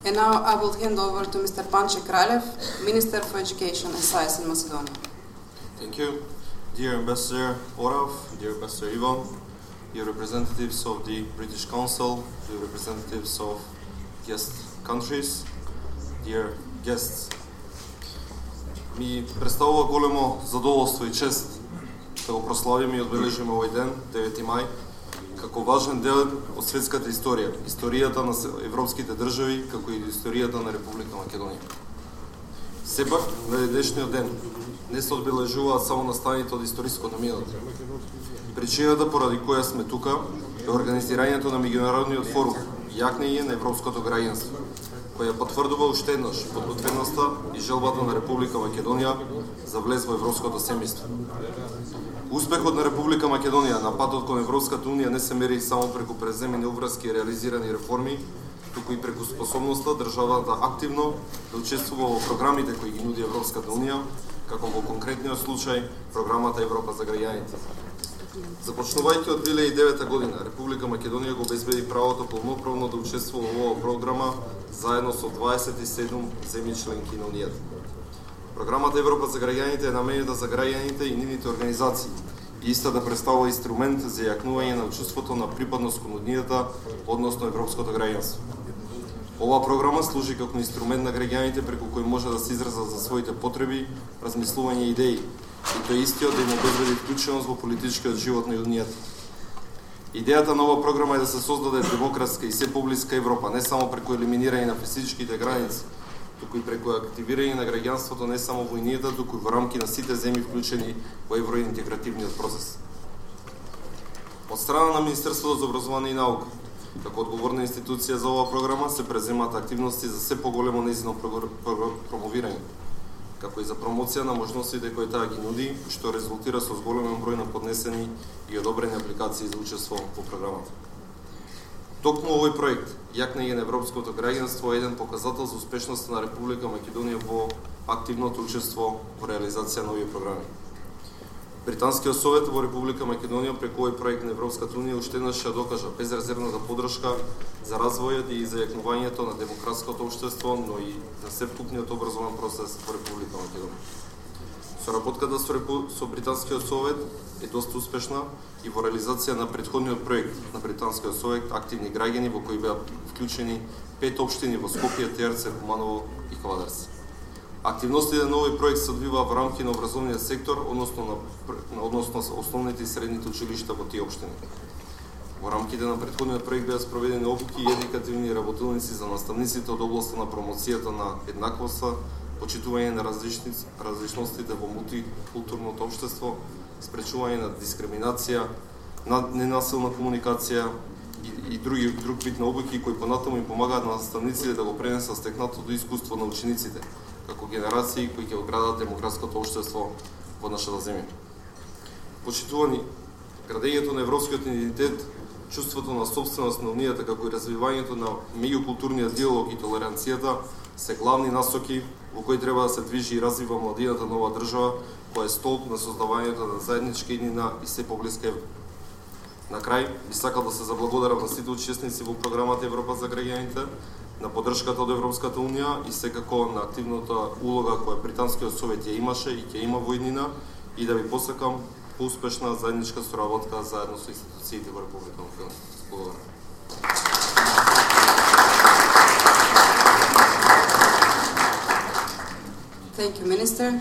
And now I will hand over to Mr. Panče Kraljev, Minister for Education and Science in Macedonia. Thank you. Dear Ambassador Orav, dear Ambassador Ivan, dear representatives of the British Council, dear representatives of guest countries, dear guests. Ми представува големо задоволство и чест да го прославиме и одбележиме овој ден, 9 мај, како важен дел од светската историја, историјата на европските држави, како и историјата на Република Македонија. Сепак, на денешниот ден не се одбележуваат само настаните од историското минато. Причината поради која сме тука е организирањето на меѓународниот форум Јакнење на европското граѓанство, која потврдува уште еднаш подготвеноста и желбата на Република Македонија за влез во европското семејство. Успехот на Република Македонија на патот кон Европската унија не се мери само преку преземени обврски и реализирани реформи, туку и преку способноста државата активно да учествува во програмите кои ги нуди Европската унија, како во конкретниот случај програмата Европа за граѓаните. Започнувајќи од 2009 година, Република Македонија го обезбеди правото полноправно да учествува во оваа програма заедно со 27 земји членки на Унијата. Програмата Европа за граѓаните е наменета за граѓаните и нивните организации и иста да представува инструмент за јакнување на чувството на припадност кон Унијата, односно европското граѓанство. Оваа програма служи како инструмент на граѓаните преку кој може да се изразат за своите потреби, размислување и идеи, и тој истиот да им обезбеди вклученост во политичкиот живот на Унијата. Идејата на оваа програма е да се создаде демократска и се поблиска Европа, не само преку елиминирање на физичките граници, туку и преку активирање на граѓанството не само во Унијата, туку и во рамки на сите земји вклучени во евроинтегративниот процес. Од страна на Министерството за образование и наука, како одговорна институција за оваа програма, се преземаат активности за се поголемо нејзино промовирање, како и за промоција на можностите кои таа ги нуди, што резултира со зголемен број на поднесени и одобрени апликации за учество во програмата. Токму овој проект, Јакнење на европското граѓанство, е еден показател за успешноста на Република Македонија во активното учество во реализација на овие програми. Британскиот совет во Република Македонија преку овој проект на Европската унија уште еднаш ја докажа безрезервната поддршка за развојот и за јакнувањето на демократското општество, но и на севкупниот образовен процес во Република Македонија. Соработката со Британскиот совет е доста успешна и во реализација на претходниот проект на Британскиот совет Активни граѓани, во кои беа вклучени 5 општини во Скопје, Терце, Куманово и Квадарци. Активностите на овој проект се одвиваа во рамки на образовниот сектор, односно основните и средните училишта во тие општини. Во рамките на претходниот проект беа спроведени обуки и едукативни работилници за наставниците од областа на промоцијата на еднаквоста, почитување на различностите во мултикултурното општество, спречување на дискриминација, на ненасилна комуникација и друг вид на обуки кои понатаму им помагаат на наставниците да го пренесат стекнатото искуство на учениците, како генерации кои ќе одградат демократското општество во нашата земја. Почитувани, градењето на европскиот идентитет, чувството на собственост на Унијата, како и развивањето на меѓукултурниот диалог и толеранцијата се главни насоки во кои треба да се движи и развива младината на оваа држава, која е столб на создавањето на заедничка иднина и се поблиска Европа. На крај, би сакал да се заблагодарам на сите учесници во програмата Европа за граѓаните, на поддршката од Европската унија и секако на активната улога која Британскиот совет ја имаше и ќе има во иднина, и да ви посакам успешна заедничка соработка заедно со институциите во Република Македонија. Благодарам. Thank you, Minister.